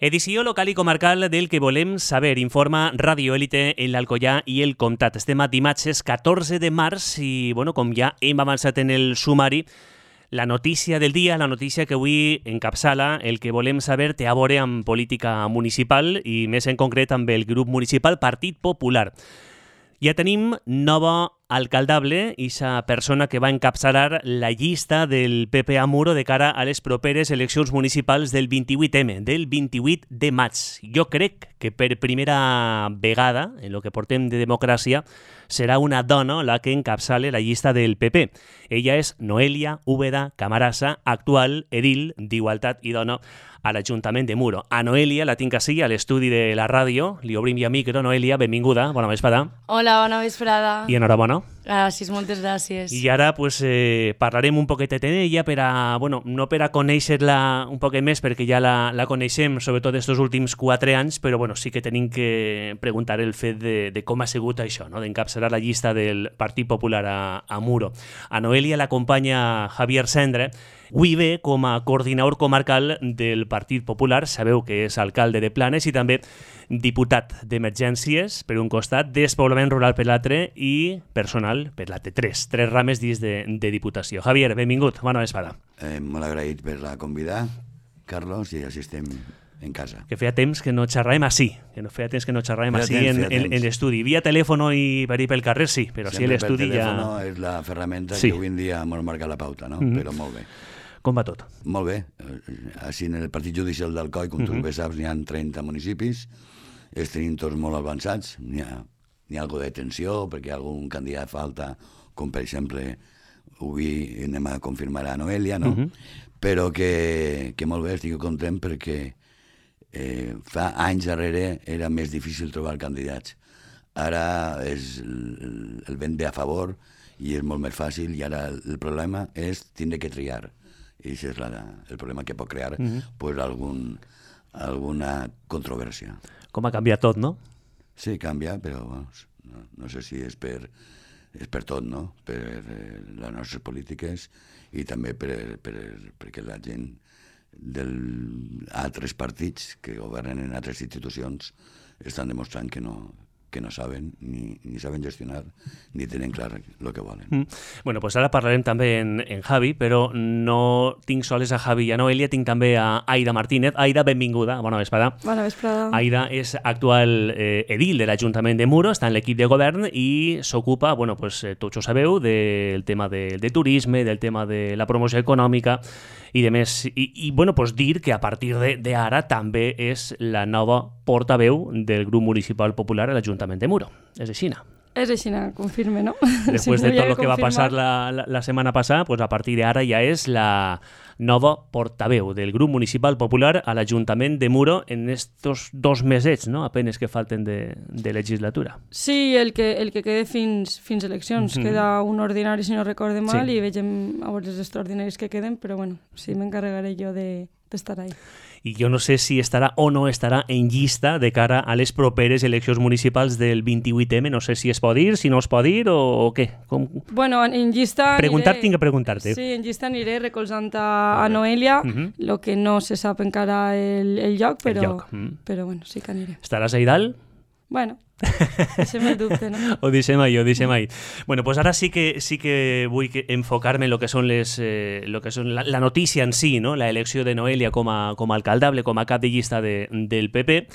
Edició local i comarcal del que volem saber, informa Radio Élite en l'Alcoià i el Comtat. Estem a dimarts 14 de març i, com ja hem avançat en el sumari, la notícia del dia, la notícia que avui encapçala el que volem saber té a veure amb política municipal i més en concret amb el grup municipal Partit Popular. Ja tenim nova alcaldable, aquesta persona que va encapçalar la llista del PP a Muro de cara a les properes eleccions municipals del 28M, del 28 de maig. Jo crec que per primera vegada, en el que portem de democràcia, serà una dona la que encapçale la llista del PP. Ella és Noelia Úbeda Camarasa, actual edil d'Igualtat i Dona a l'Ajuntament de Muro. A Noelia la tinc així, a l'estudi de la ràdio. Li obrim ja micro. Noelia, benvinguda. Bona vesprada. Hola, bona vesprada. I enhorabona. Gràcies, moltes gràcies. I ara parlarem un poquetet d'ella per a, no per a conèixer-la un poquet més, perquè ja la coneixem, sobretot estos últims 4 anys, però sí que tenim que preguntar el fet de com ha sigut això, no? D'encapçalar la llista del Partit Popular a Muro. A Noelia l'acompanya Javier Sendre, avui ve com a coordinador comarcal del Partit Popular, sabeu que és alcalde de Planes i també diputat d'emergències per un costat, despoblament rural per l'altre i personal per l'altre. Tres rames dins de Diputació. Javier, benvingut, bona vesprada. Molt agraït per la convidar, Carlos, i així estem en casa. Que feia temps que no xerràvem així, en l'estudi. Via telèfon i per ir pel carrer, sí, però sí l'estudi ja... Sempre per telèfon és la ferramenta que avui en dia ens marca la pauta, no? Però molt bé. Com va tot? Molt bé. Així en el partit judicial d'Alcoi, com tu bé saps, n'hi ha 30 municipis, els tenim tots molt avançats, n'hi ha algo de tensió, perquè algun candidat falta, com per exemple, avui anem a confirmar a Noelia, no? Però que molt bé, estic content perquè fa anys darrere era més difícil trobar candidats. Ara el vent ve a favor i és molt més fàcil i ara el problema és tindre que triar. I això és el problema que pot crear alguna controvèrsia. Com ha canviat tot, no? Sí, canvia, però no sé si és per tot, no? Per les nostres polítiques i també perquè la gent d'altres partits que governen en altres institucions estan demostrant que no saben, ni saben gestionar, ni tenen clar el que volen. Pues ara parlarem també en Javi, però no tinc soles a Javi i a Noelia, tinc també a Aida Martínez. Aida, benvinguda, bona vesprada. Bona vesprada. Aida és actual edil de l'Ajuntament de Muro, està en l'equip de govern i s'ocupa, tots ho sabeu, del tema de turisme, del tema de la promoció econòmica i de més. I dir que a partir d'ara també és la nova portaveu del grup municipal popular a l'Ajuntament de Muro. És així, no? És així, confirme, no? Després de tot el que va passar la setmana passada, a partir d'ara ja és la nova portaveu del grup municipal popular a l'Ajuntament de Muro en estos 2 mesets, no? Apenes que falten de legislatura. Sí, el que queda fins eleccions. Queda un ordinari, si no recorde mal, i vegem a veure els extraordinaris que queden, però sí, m'encarregaré jo d'estar ahí. I jo no sé si estarà o no estarà en llista de cara a les properes eleccions municipals del 28M. No sé si es pot dir, si no es pot dir o què. En llista... Tinc que preguntar-te. Sí, en llista aniré recolzant a Noelia, el que no se sap encara el lloc, però sí que aniré. Estaràs ahí dalt? Deixem el dubte, no? Ho deixem ahí. Ara sí que vull enfocar-me en lo que són la notícia en si, no? La elecció de Noelia com a alcaldable, com a cap de llista del PP.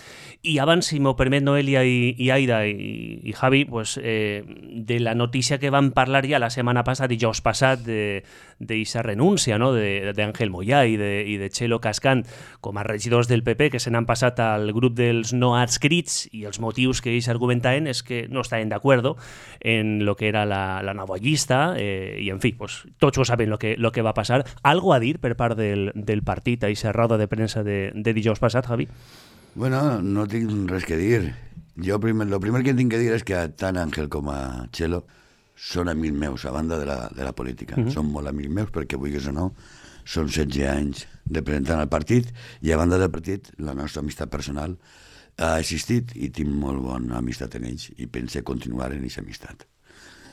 I abans, si m'ho permet, Noelia i Aida i Javi, de la notícia que vam parlar ja la setmana passada, dijous passat, d'eixa renúncia, no? d'Àngel Moyà i de Txelo Cascant com a regidors del PP que se n'han passat al grup dels no adscrits, i els motius que ells argumentaven és que no estaven d'acord en lo que era la nova llista i en fi, tots ho saben lo que va passar. Algo a dir per part del partit a aquesta roda de premsa de dijous passat, Javi? No tinc res que dir. Jo el primer que tinc que dir és que tant Àngel com a Txelo són amics meus, a banda de la política. Són molt amics meus perquè, vulguis o no, són 16 anys representant el partit i a banda del partit la nostra amistat personal ha existit i tinc molt bona amistat en ells i pense continuar en aquesta amistat.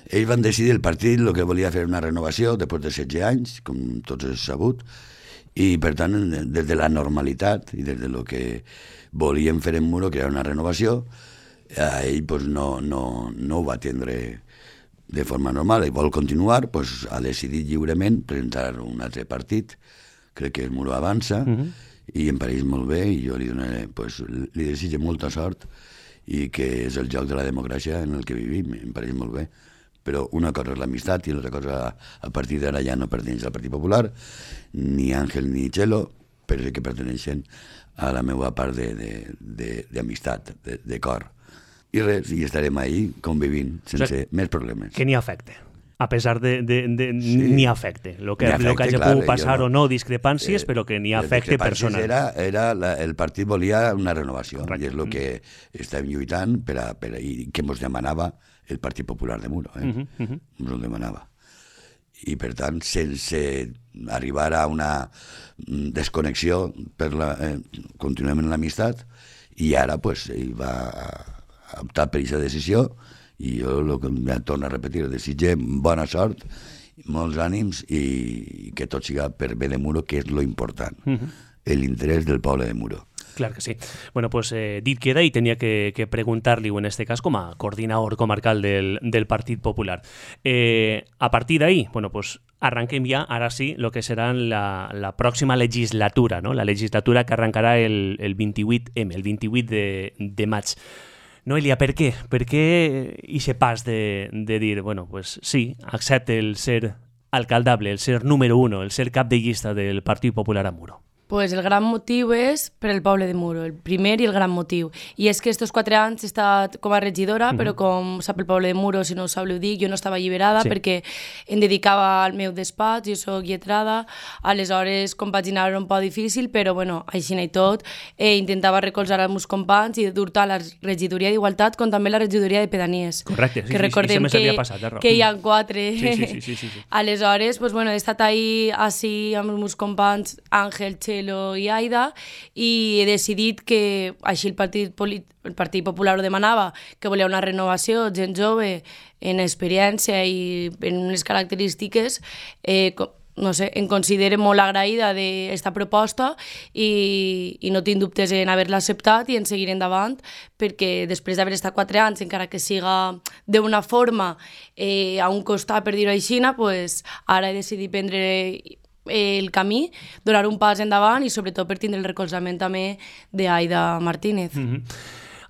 Ells van decidir, el partit, el que volia fer una renovació després de 16 anys, com tots és sabut, I, per tant, des de la normalitat i des de lo que volíem fer en Muro, que era una renovació, ell pues, no ho va atendre de forma normal i vol continuar, pues, ha decidit lliurement presentar un altre partit, crec que el Muro Avança, i em pareix molt bé, i jo li donaré, pues, li desitjo molta sort, i que és el joc de la democràcia en el que vivim, em pareix molt bé. Però una cosa és l'amistat i l'altra cosa, a partir d'ara ja no perteneix al Partit Popular, ni Àngel ni Txelo, però que perteneixen a la meva part d'amistat, de cor. I res, i estarem ahí convivint sense més problemes. Que n'hi afecte. A pesar de ni afecte. Lo que hagi pogut passar o no, discrepàncies, però que n'hi afecte personal. El partit volia una renovació, i és el que estem lluitant i que ens demanava el Partit Popular de Muro. Ens ho demanava. I, per tant, sense arribar a una desconnexió, continuem en l'amistat, i ara ell va optar per aquesta decisió, i jo ja torno a repetir, desitgem bona sort, molts ànims i que tot siga per bé de Muro, que és lo important, l'interès del poble de Muro. Clar que sí. Bueno, pues dit queda i tenia que preguntar-li, en este cas, com a coordinador comarcal del Partit Popular. A partir d'ahí, bueno, pues arranquem ja, ara sí, lo que serà la pròxima legislatura, no? La legislatura que arrencarà el 28M, el 28 de maig. Noelia, per què? Per què ixe pas de dir, bueno, pues sí, accepte el ser alcaldable, el ser número 1, el ser cap de llista del Partit Popular a Muro? Pues el gran motiu és per el poble de Muro, el primer i el gran motiu. I és que estos 4 anys he estat com a regidora, però com sap el poble de Muro, si no ho sabeu dir, jo no estava alliberada perquè em dedicava al meu despatx, jo soc lletrada, aleshores compaginar era un poc difícil, però bueno, així i tot, intentava recolzar els meus companys i dur tant la regidoria d'Igualtat com també la regidoria de Pedanies. Correcte, sí, que recordem que hi ha 4. Sí. Aleshores, pues bueno, he estat ahí així amb els meus companys Àngel, Txelo i Aida, i he decidit que així el Partit Popular ho demanava, que volia una renovació, gent jove, en experiència i en unes característiques, no sé, em considero molt agraïda d'esta proposta i no tinc dubtes en haver-la acceptat i en seguir endavant, perquè després d'haver estat 4 anys, encara que siga d'una forma a un costat, per dir-ho així, pues, ara he decidit prendre el camí, donar un pas endavant i sobretot per tindre el recolzament també d'Aida Martínez.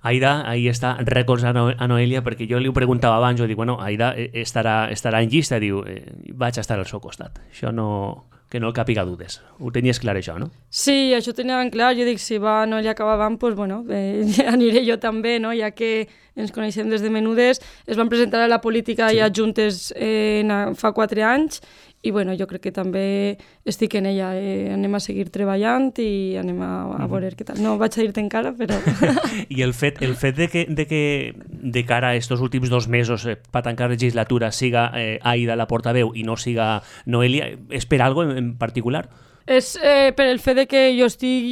Aida, ahí està recolzant a Noelia, perquè jo li ho preguntava abans, jo dic, bueno, Aida estarà en llista, diu, vaig estar al seu costat. Això no, que no el càpiga dudes. Ho tenies clar, això, no? Sí, això ho tenia ben clar. Jo dic, si va Noelia acaba avant, doncs, bueno, aniré jo també, no? Ja que ens coneixem des de menudes. Es van presentar a la política ja juntes fa 4 anys, i bueno, jo crec que també estic en ella. Anem a seguir treballant i anem a veure què tal. No vaig a dir-te encara, però... I el fet de que de cara a estos últims 2 mesos per tancar legislatura siga Aida la portaveu i no siga Noelia, és per algo en particular? És per el fet de que jo estic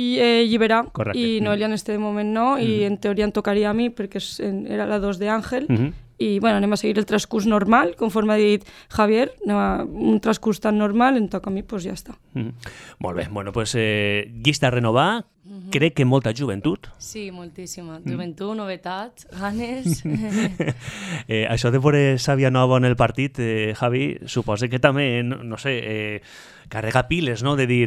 lliberà. Correcte. I Noelia en este moment no, i en teoria em tocaria a mi perquè era la 2 d'Àngel. I bueno, anem a seguir el transcurs normal, conforme ha dit Javier, un transcurs tan normal, em toca a mi, doncs ja està. Molt bé, bueno, doncs llista a renovar, crec que molta joventut. Sí, moltíssima. Joventut, novetats, ganes... Això de veure sàvia nova en el partit, Javi, suposa que també, no sé, carrega piles, no?, de dir,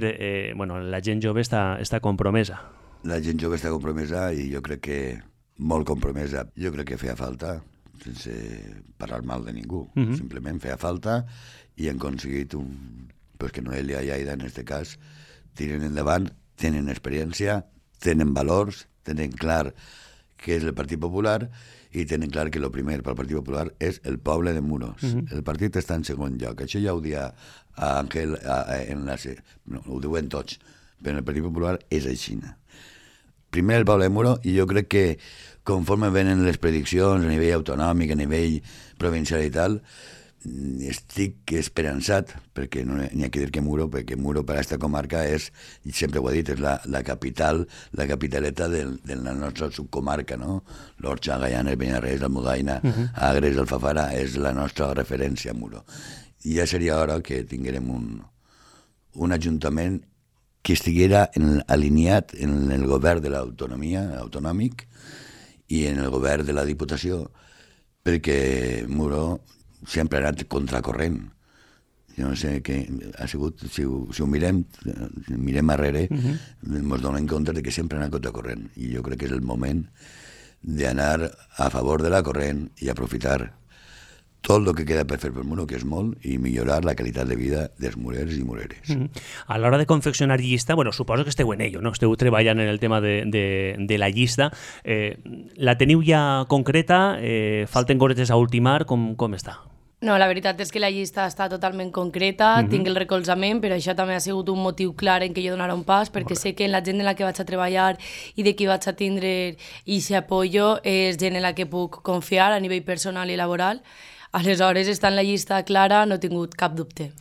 bueno, la gent jove està compromesa. La gent jove està compromesa i jo crec que molt compromesa. Jo crec que feia falta, sense parlar mal de ningú, simplement feia falta i han aconseguit que Noelia i Aida, en aquest cas, tiren endavant, tenen experiència, tenen valors, tenen clar què és el Partit Popular i tenen clar que el primer pel Partit Popular és el poble de Muros. El partit està en segon lloc. Això ja ho dia a Àngel, ho diuen tots, però el Partit Popular és així. Primer el poble de Muro, i jo crec que conforme venen les prediccions a nivell autonòmic, a nivell provincial i tal, estic esperançat, perquè no n'hi ha que dir que Muro, perquè Muro per a aquesta comarca és, i sempre ho he dit, és la capital, la capitaleta de la nostra subcomarca, no? L'Orxa, Gaianes, Beniarrés, l'Almudaina, Agres, Alfafara, és la nostra referència a Muro. I ja seria hora que tinguérem un ajuntament que estiguera alineat en el govern de l'autonomia, autonòmic, i en el govern de la Diputació, perquè Muro sempre ha anat contracorrent. Jo no sé què ha sigut, si ho mirem arrere, ens donem compte que sempre ha anat contracorrent. I jo crec que és el moment d'anar a favor de la corrent i aprofitar tot el que queda per fer per Muro, que és molt, i millorar la qualitat de vida dels murers i mureres. A l'hora de confeccionar llista, bueno, suposo que esteu en ello, no? Esteu treballant en el tema de la llista. La teniu ja concreta? Falten cosetes a ultimar? Com està? No, la veritat és que la llista està totalment concreta, tinc el recolzament, però això també ha sigut un motiu clar en què jo donaré un pas, perquè sé que la gent en la que vaig a treballar i de qui vaig a tindre aquest apoyo és gent en la que puc confiar a nivell personal i laboral. Aleshores, està en la llista clara, no he tingut cap dubte.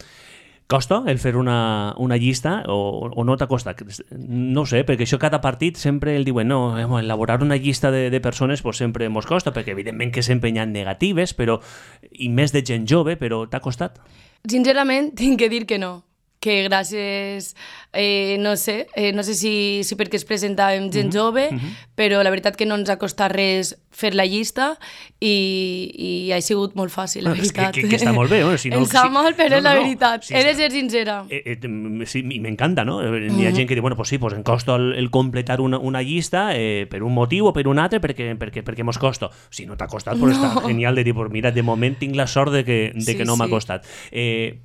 Costa el fer una llista o no t'ha costat? No ho sé, perquè això cada partit sempre el diuen no, elaborar una llista de persones pues sempre mos costa, perquè evidentment que sempre hi ha negatives, però i més de gent jove, però t'ha costat? Sincerament, tinc que dir que no. Que gràcies, no sé si perquè es presentàvem gent jove, però la veritat que no ens ha costat res fer la llista i ha sigut molt fàcil, la veritat. Que està molt bé. Em sap mal, però és la veritat. He de ser sincera. Sí, m'encanta, no? Hi ha gent que diu, bueno, pues sí, pues em costa el completar una llista per un motiu o per un altre perquè mos costa. Si no t'ha costat, pues està genial de dir, pues mira, de moment tinc la sort de que no m'ha costat.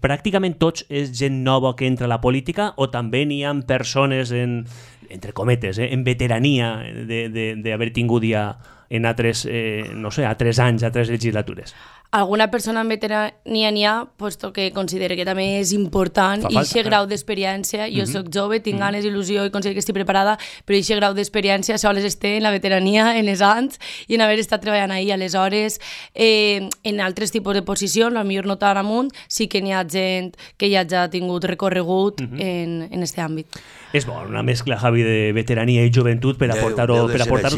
Pràcticament tots és gent nova que entra a la política o també n'hi ha persones entre cometes, en veterania d'haver tingut ja en altres, no sé, a 3 anys, a 3 legislatures? Alguna persona en veterania n'hi ha, puesto que considero que també és important i aquest grau d'experiència. Jo soc jove, tinc ganes, il·lusió i considero que estic preparada, però aquest grau d'experiència sols té en la veterania, en els anys i en haver estat treballant ahir. Aleshores, en altres tipus de posicions, potser no tan amunt, sí que n'hi ha gent que ja ha tingut recorregut en aquest àmbit. És bo, una mescla, Javi, de veterania i joventut per aportar-ho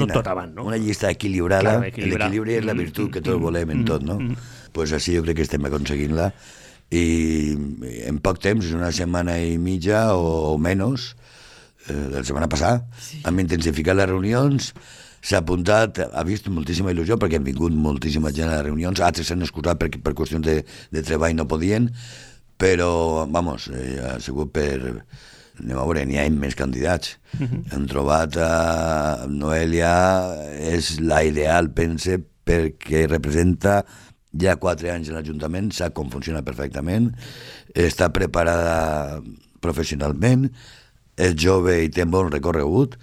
tot avant, no? Una llista equilibrada, l'equilibri és la virtut que tots volem en tot, no? Pues així jo crec que estem aconseguint-la i en poc temps, una setmana i mitja o menys, la setmana passada, hem intensificat les reunions, s'ha apuntat, ha vist moltíssima il·lusió perquè han vingut moltíssima gent a les reunions, altres s'han excusat per qüestions de treball no podien, però, vamos, ha sigut per... Anem a veure, n'hi ha més candidats. Hem trobat a Noelia, és la ideal, pense, perquè representa ja 4 anys en l'Ajuntament, sap com funciona perfectament, està preparada professionalment, és jove i té bon recorregut,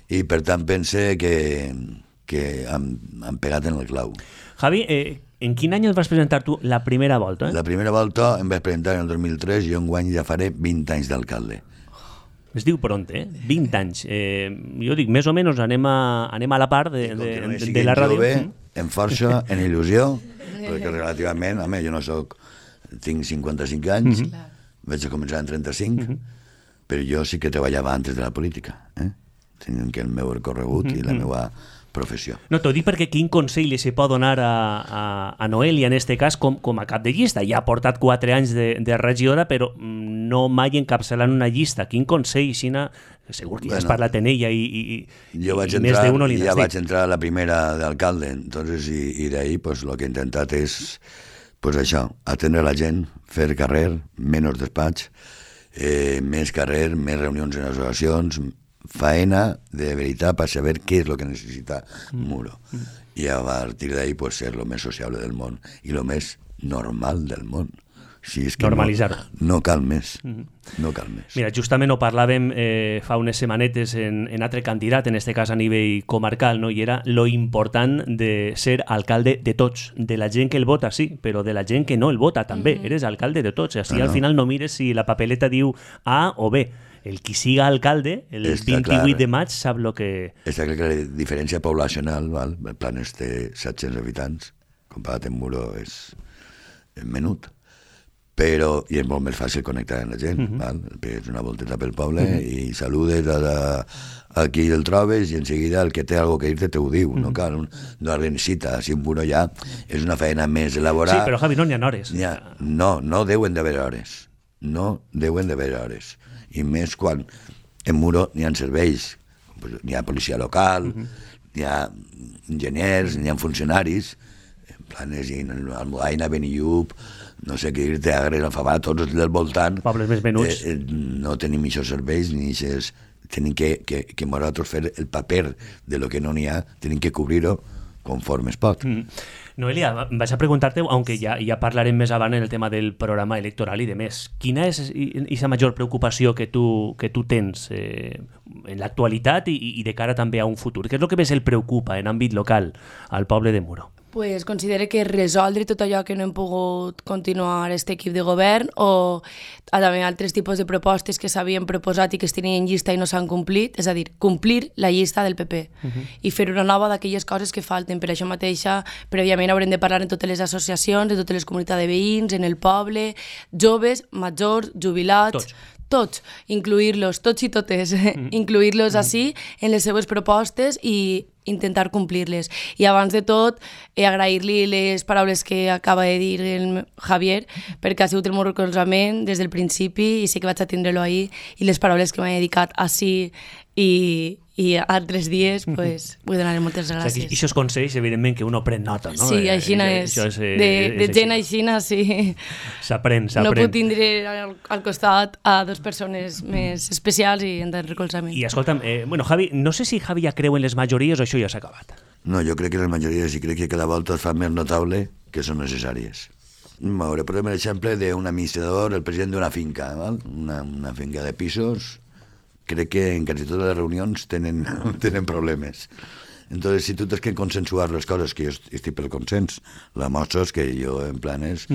i per tant pense que han pegat en el clau. Javi, en quin any el vas presentar tu la primera volta? La primera volta em vaig presentar en el 2003 i jo enguany ja faré 20 anys d'alcalde. Es diu pront, 20 anys. Jo dic, més o menys anem a la part de la ràdio. Jove, en força, en il·lusió, perquè relativament, home, jo no tinc 55 anys, vaig a començar en 35, però jo sí que treballava antes de la política, tenint que el meu recorregut i la meva professió. No, t'ho dic perquè quin consell li se pot donar a Noelia, en este cas, com a cap de llista. Ja ha portat 4 anys de regidora, però no mai encapçalant una llista. Quin consell, Xina? Segur que ja has parlat en ella i més d'uno li n'has dit. Jo vaig entrar a la primera d'alcalde, entonces, i d'ahí pues, lo que he intentat és pues, això, atendre la gent, fer carrer, menys despatx, més carrer, més reunions en associacions, faena de veritat per saber què és el que necessita Muro. I a partir d'ahí pues, ser lo més sociable del món i lo més normal del món. Si és que normalitzar-ho. No cal més. No cal més. Mira, justament ho parlàvem fa unes setmanetes en altre candidat, en este cas a nivell comarcal, no? I era lo important de ser alcalde de tots, de la gent que el vota, sí, però de la gent que no el vota també. Eres alcalde de tots. Així al final no mires si la papeleta diu A o B. El qui siga alcalde, el 28 de maig, sap el que... Està clar que la diferència poblacional, val? El Planes té 700 habitants, comparat amb Muro és menut, però i és molt més fàcil connectar amb la gent, val? És una volteta pel poble i saludes a qui el trobes i en seguida el que té alguna cosa que dir-te ho diu, no cal una cita, si un Muro ja és una feina més elaborada. Sí, però Javi, no n'hi ha hores. No deuen d'haver hores. No deuen d'haver hores. I més quan en Muro n'hi ha serveis, n'hi ha policia local, n'hi ha enginyers, n'hi ha funcionaris, en Planes, Almudaina, Benillup, no sé què dir-te, Agres, Alfabà, tots els del voltant. Pobles més menuts. No tenim aquests serveis, ni aquests... Tenim que nosaltres fer el paper de lo que no n'hi ha, tenim que cobrir-ho conforme es pot. Noelia, vaig a preguntar-te, aunque ja parlarem més avant en el tema del programa electoral i de més, quina és aquesta major preocupació que tu tens en l'actualitat i de cara també a un futur? Què és el que més el preocupa en àmbit local al poble de Muro? Pues considere que resoldre tot allò que no hem pogut continuar aquest equip de govern o també altres tipus de propostes que s'havien proposat i que es tenien en llista i no s'han complit, és a dir, complir la llista del PP i fer una nova d'aquelles coses que falten. Per això mateixa, prèviament haurem de parlar en totes les associacions, en totes les comunitats de veïns, en el poble, joves, majors, jubilats... Tots, incluir-los, tots i totes, incluir-los així en les seves propostes i intentar complir-les. I abans de tot, agrair-li les paraules que acaba de dir el Javier, perquè ha sigut el meu recolzament des del principi i sé que vaig a tindre-lo ahir, i les paraules que m'ha dedicat així i altres dies, pues, vull donar-li moltes gràcies. O sigui, aquests consells, evidentment, que uno pren nota, no? Sí, aixina és. De gent aixina, sí. S'aprèn. No puc tindre al costat a dues persones més especials i en recolzament. I escolta'm, Javi, no sé si Javi ja creu en les majories o això ja s'ha acabat. No, jo crec que les majories i crec que cada volta es fa més notable que són necessàries. M'hauré posat l'exemple d'un administrador, el president d'una finca, val? Una finca de pisos. Crec que en quasi totes les reunions tenen problemes. Entonces, si tu tens que consensuar les coses, que jo estic pel consens, la mostra és que jo en Planes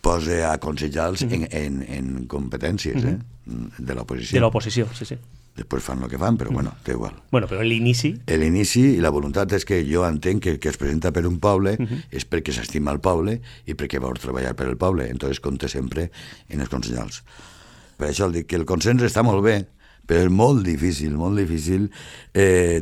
pose a aconsellar-los en competències de l'oposició. De l'oposició, sí. Després fan el que fan, però bueno, té igual. Bueno, però l'inici... L'inici i la voluntat és que jo entenc que es presenta per un poble és perquè s'estima el poble i perquè vol treballar per el poble. Entonces compte sempre en els consellers. Per això dic que el consens està molt bé, però és molt difícil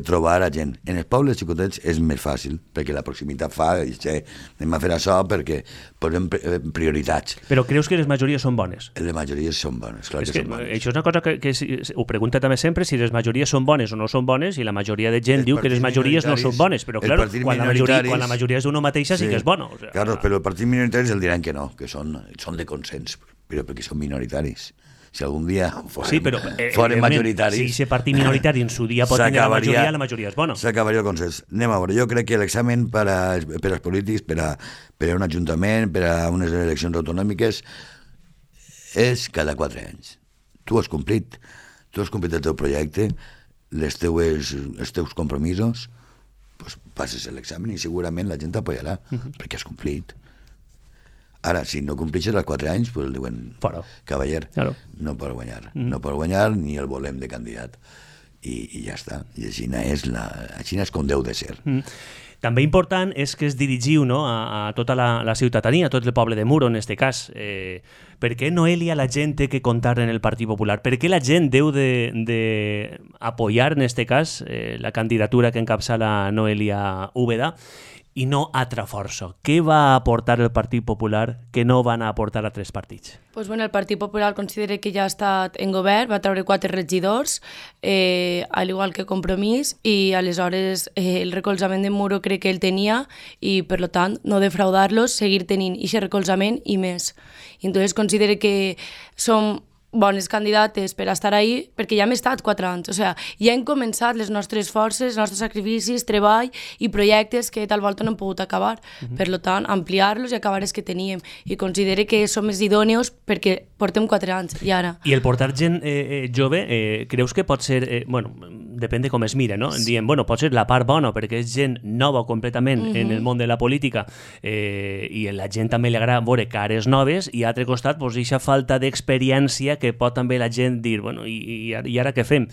trobar a gent. En els pobles xicotets és més fàcil, perquè la proximitat fa, anem a fer això perquè posem prioritats. Però creus que les majories són bones? Les majories són bones, clar que són bones. Això és una cosa que ho pregunta també sempre, si les majories són bones o no són bones, i la majoria de gent diu que les majories no són bones, però clar, quan la majoria és d'una mateixa sí que és bona. Claro, però els partits minoritaris el diran que no, que són de consens, però perquè són minoritaris. Si algun dia foren majoritaris... Si aquest partit minoritari en su dia pot tenir la majoria és bona. S'acabaria el consens. Anem a veure, jo crec que l'examen per als polítics, per a un ajuntament, per a unes eleccions autonòmiques, és cada 4 anys. Tu has complit el teu projecte, els teus compromisos, doncs passes l'examen i segurament la gent t'apoyarà, perquè has complit. Ara, si no complixes els 4 anys, pues el diuen, cavaller, no pot guanyar ni el volem de candidat. I ja està. I així és com deu de ser. També important és que es dirigiu a tota la ciutadania, a tot el poble de Muro, en aquest cas. Per què, Noelia, la gent té que comptar en el Partit Popular? Per què la gent deu d'apoyar, en aquest cas, la candidatura que encapçala Noelia Úbeda i no altra força? Què va aportar el Partit Popular que no van aportar altres partits? Pues bueno, el Partit Popular considera que ja ha estat en govern, va treure 4 regidors, al igual que Compromís, i aleshores el recolzament de Muro crec que el tenia i, per tant, no defraudar-los, seguir tenint aquest recolzament i més. I entonces considera que som bones candidates per estar ahí, perquè ja hem estat 4 anys. O sigui, ja hem començat les nostres forces, els nostres sacrificis, treball i projectes que tal volta no hem pogut acabar. Per tant, ampliar-los i acabar els que teníem. I considere que som més idòneos perquè portem 4 anys, i ara. I el portar gent jove, creus que pot ser... depèn de com es mira, no? Diem, pot ser la part bona, perquè és gent nova completament en el món de la política i a la gent també li agrada veure cares noves, i a l'altre costat, aquesta falta d'experiència que pot també la gent dir, i ara què fem?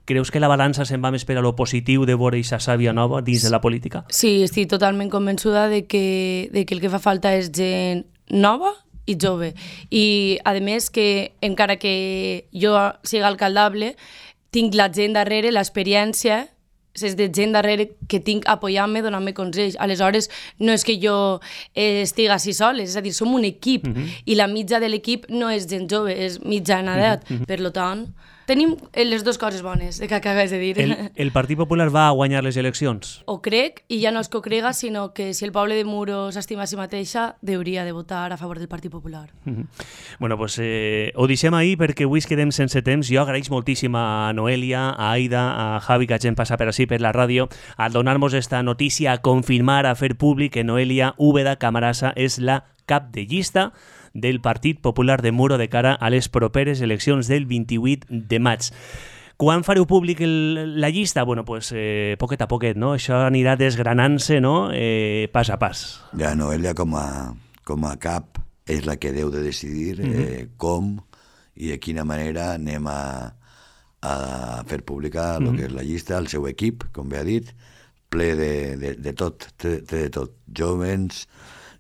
Creus que la balança se'n va més per a lo positiu de veure aquesta sàvia nova dins de la política? Sí, estic totalment convençuda de que el que fa falta és gent nova i jove. I, a més, que encara que jo sigui alcaldable, tinc la gent darrere, l'experiència, és de gent darrere que tinc apoyant-me, donant-me consells. Aleshores, no és que jo estigui així soles, és a dir, som un equip, i la mitja de l'equip no és gent jove, és mitjana edat. Per tant, Tenim les dues coses bones que acabes de dir. El Partit Popular va a guanyar les eleccions? Ho crec, i ja no és que ho crega, sinó que si el poble de Muro s'estima a si mateixa, hauria de votar a favor del Partit Popular. Bueno, pues ho deixem ahir perquè avui es quedem sense temps. Jo agraeix moltíssim a Noelia, a Aida, a Javi, que hagin passat per així per la ràdio, a donar-nos esta notícia, a confirmar, a fer públic que Noelia Úbeda Camarasa és la cap de llista del Partit Popular de Muro de cara a les properes eleccions del 28 de maig. Quan fareu públic la llista? Bueno, pues poquet a poquet, no? Això anirà desgranant-se, no? Pas a pas. Ja, Noelia com a cap és la que deu de decidir com i de quina manera anem a fer pública el que és la llista, el seu equip, com bé ha dit, ple de tot, de tot, jovens,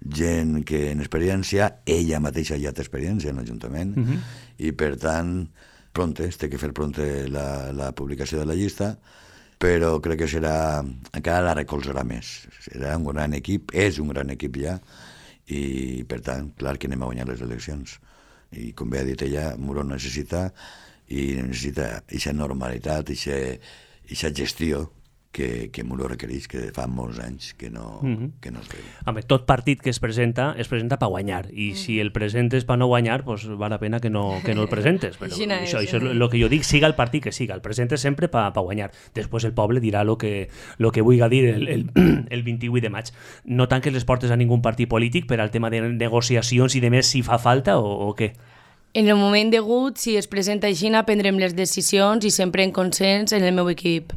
gent que en experiència, ella mateixa ja té experiència en l'Ajuntament, i per tant, té que fer pronte la publicació de la llista, però crec que encara la recolzarà més. Serà un gran equip, és un gran equip ja, i per tant, clar que anem a guanyar les eleccions. I com bé ha dit ella, Muro necessita aquesta normalitat, aquesta gestió que Muro requereix, que fa molts anys que no es veu. Home, tot partit que es presenta per guanyar, i si el presentes per no guanyar, pues val la pena que no el presentes. Però això és el que jo dic, siga el partit que siga, el presentes sempre per guanyar. Després el poble dirà el que vulgui dir el 28 de maig. No tanques les portes a ningú partit polític per al tema de negociacions i de més si fa falta o què? En el moment degut, si es presenta així, prendrem les decisions i sempre en consens en el meu equip.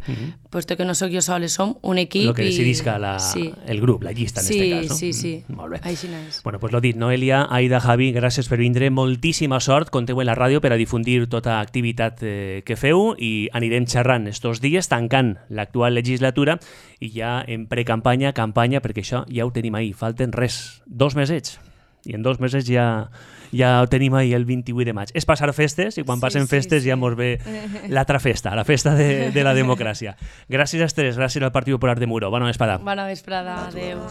Puesto que no sóc jo sola, som un equip. El que decidisca el grup, la llista en este cas, no? Sí. Molt bé. Així és. Bueno, pues lo dit, Noelia, Aida, Javi, gràcies per vindre. Moltíssima sort, compteu en la ràdio per a difundir tota activitat que feu i anirem xerrant estos dies, tancant l'actual legislatura i ja en precampanya, campanya, perquè això ja ho tenim ahí. Falten 2 mesets. I en 2 mesos ja ho tenim ahí el 28 de maig. És passar festes i quan passen festes ja mos ve l'altra festa, la festa de la democràcia. Gràcies a tres, gràcies al Partit Popular de Muro. Bona vesprada. Bona vesprada, adeu.